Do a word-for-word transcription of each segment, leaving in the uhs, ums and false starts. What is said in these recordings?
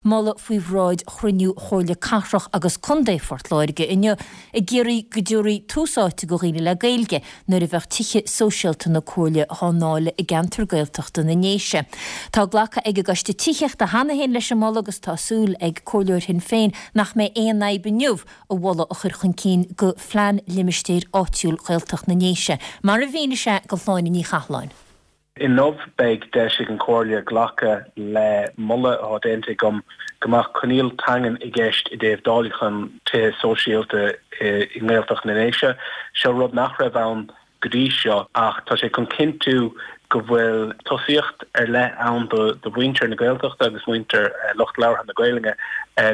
Moladh faoi bhráid chruinniú Chomhairle Cathrach agus Contae Phort Láirge inniu ag iarraidh go dtabharfaí tús áite do dhaoine le Gaeilge nuair a bheadh tithe sóisialta na Comhairle á ndáileadh i gceantar Gaeltachta na nDéise. Tá glactha ag an gCoiste Tithíochta cheana féin leis an moladh agus tá súil ag comhairleoir Shinn Féin nach mbeidh aon fhadhb inniu an moladh a chur chun cinn do phlean limistéir áitiúil Ghaeltacht na nDéise, mar a mhínigh sé do Shláine Ní Chathalláin. Inniu beidh deis ag an Chomhairle glacadh le moladh atá déanta agam go mbeadh coinníoll teangan i gceist i dtaobh dáileachán tithe sóisialta i nGaeltacht na nDéise. Seo rud nach raibh ann go dtí seo ach tá sé chun cinntiú go bhfuil tosaíocht ar leith ann do do mhuintir na Gaeltachta agus muintir lucht labhartha na Gaeilge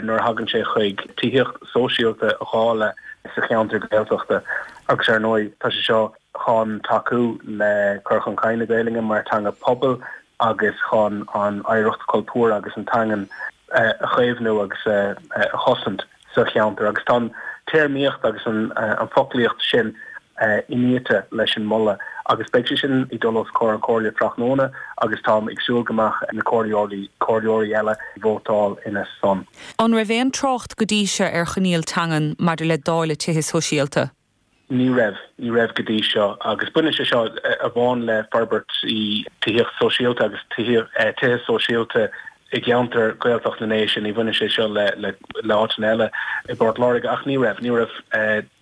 nuair a thagann sé chuig tithíocht sóisialta a dháileadh sa cheantar Gaeltachta agus ar ndóigh tá sé seo chun tacú le cur chun cinn na Gaeilge mar teanga pobail agus chun an oidhreacht cultúr agus an teangan a chaomhnú agus a chosaint sa cheantar agus tá an téarmaíocht agus an an foclaíocht sin iniata leis an moladh agus beidh sé sin ag dul os comhair an Chomhairle tráthnóna agus táim ag súil go mbeadh na comhairleoirí comhairleoirí eile vótáil ina son. An raibh aon trácht go dtí seo ar choinníoll teangan maidir le dáileadh tithe sóisialta? Ní raibh, ní raibh go dtí seo agus baineann sé seo amháin le forbairt i tithíocht sóisialta agus tithe sóisialta i gceantar Gaeltacht na nDéise, ní bhaineann sé seo le le le áiteanna eile i bPort Láirge ach ní raibh, ní raibh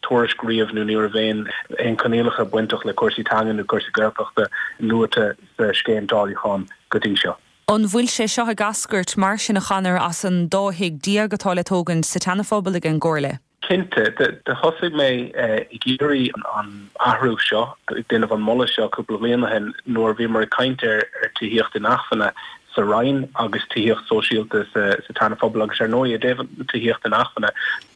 tuairisc riamh nó ní raibh aon aon choinníollacha bainteach le cúrsaí teanga nó cúrsaí Gaeltachta luaite sa scéim dáileacháin go dtí seo. An bhfuil sé seo ag eascairt mar sin a Chonor as an dá thigh déag atá le tógaint sa tSeana-Phobal ag an gComhairle? Cinnte, do thosaigh mé ag iarraidh an athrú seo, ag déanamh an moladh seo cúpla bliain ó shin nuair a bhíomar ag caint ar tithíocht inacmhainne sa Rinn agus tithíocht sóisialta sa tSeana-Phobal agus ar ndóigh i dtaobh tithíocht inacmhainne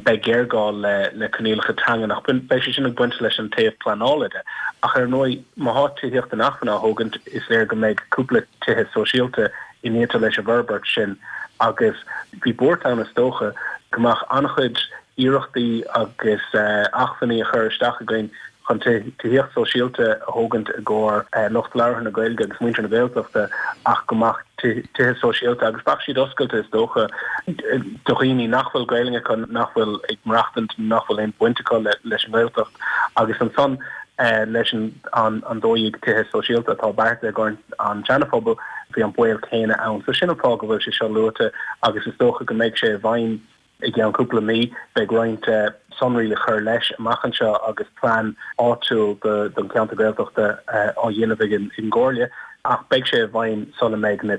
beidh géarghá le le coinníollacha teangan ach beidh sé sin ag baint leis an taobh pleanála de. Ach ar ndóigh má thá tithíocht inacmhainne á thógaint is léir go mbeidh cúpla tithe sóisialta iniata leis an bhforbairt sin agus bhí buairt ann is dócha go mbeadh an-chuid iarrachtaí agus acmhainní a chur isteach againn chun tithíocht sóisialta a thógaint i gcomhair lucht labhartha na Gaeilge agus muintir na Gaeltachta ach go mbeadh tithe sóisialta agus bheadh siad oscailte is dócha do dhaoine nach bhfuil Gaeilge acu, nach bhfuil ag maireachtaint, nach bhfuil aon bhaint acu leis an nGaeltacht agus ansan leis an dó dhéag tithe sóisialta atá beartaithe i gcomhair an tSeana-Phobail bhí an baol céanna ann. So sin an fáth go bhfuil sé seo luaite agus is dócha go mbeidh sé i bhfeidhm i gceann cúpla mí. Beidh roinnt sonraí le cur leis amach anseo agus plean áitiúil don cheantar Gaeltachta á dhéanamh ag an gComhairle ach beidh sé i bhfeidhm sula mbeidh na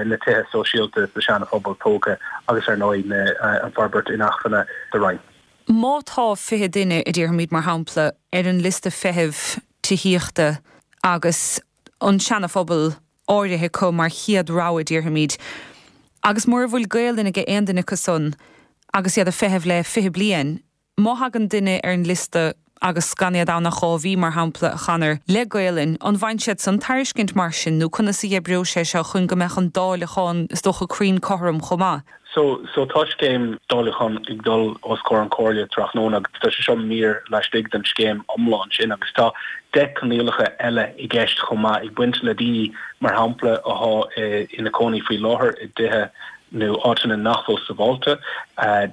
na tithe sóisialta sa Seana-Phobal tógtha agus ar ndóigh an forbairt inacmhainne sa Rinn. Má tá fiche duine, a déarfaimid mar shampla, ar an liosta feithimh tithíochta agus an Seana-Phobal áirithe acu mar chéad rogha, déarfaimid, agus mura bhfuil Gaelainn ag aon duine acu san agus iad ag feitheamh le fiche bliain, má thagann duine ar an liosta agus gan iad ann ach dhá mhí, mar shampla, a Chonor, le Gaelainn, an bhfaigheann siad san tairiscint mar sin nó conas a oibreoidh sé seo chun go mbeadh an dáileachán, is dócha, cruinn cothrom chomh maith? So, so tá scéim dáileacháin ag dul os comhair an Chomhairle tráthnóna agus tá sé seo mír laistigh den scéim iomlán sin agus tá deich coinníollacha eile i gceist chomh maith ag baint le daoine mar shampla athá ina cónaí faoi láthair i dtithe nó áiteanna nach bhfuil sábháilte,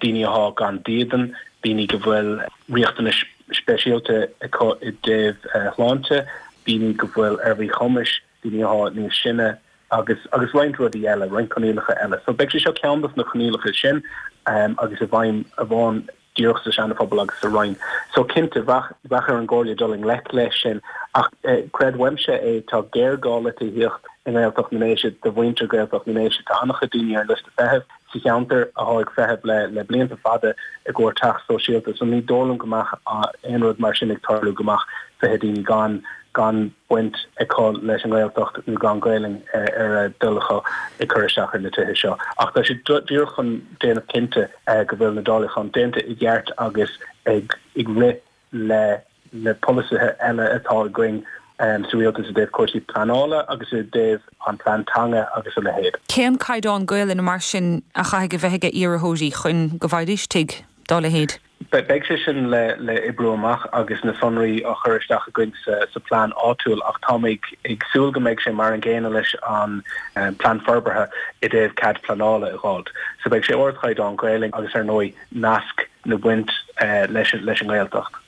daoine athá gan dídean, daoine go bhfuil riachtanais speisialta acu i dtaobh shláinte, daoine go bhfuil ar mhíchumais, daoine athá níos sine. agus agus roinnt rudaí eile, roinnt coinníollacha eile. So beidh sé seo ceann dos na coinníollacha sin agus i bhfeidhm amháin díreach sa Seana-Phobal agus sa Rinn. So cinnte, bheadh bheadh ar an gComhairle dul i ngleic leis sin ach creid uaimse é, tá géarghá le tithíocht i nGaeltacht na nDéise do mhuintir Ghaeltacht na nDéise. Tá an-chuid daoine ar an liosta feithimh sa cheantar athá ag feitheamh le le blianta fada i gcomhair teach sóisialta so ní dóigh liom go mbeadh aon rud mar sin ag tarlú go mbeadh fiche daoine gan gan baint acu leis an nGaeltacht nó gan Gaelainn ar a dtoil acu ag cur isteach ar na tithe seo. Ach tá sé díreach chun déanamh cinnte go bhfuil na dáileacháin déanta i gceart agus ag rith le na polasaithe eile atá againn sa rialtas i dtaobh cúrsaí pleanála agus i dtaobh an plean teanga agus a leithéid. Cén caighdeán Gaelainne mar sin a chaithfidh a bheith ag iarrthóirí chun go bhfaighidís tigh dá leithéid? Beidh sé sin le le oibriú amach agus na sonraí á chur isteach againn sa sa plean áitiúil ach tá mé ag súil go mbeidh sé mar an gcéanna leis an um, plean forbartha i dtaobh cead pleanála a fháil. So beidh sé ardchaighdeán Gaeilge agus ar ndóigh nasc nó baint uh, leis leis an nGaeltacht.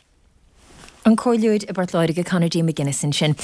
An Comhairleoir i bPort Láirge Conor D. McGuinness ansin.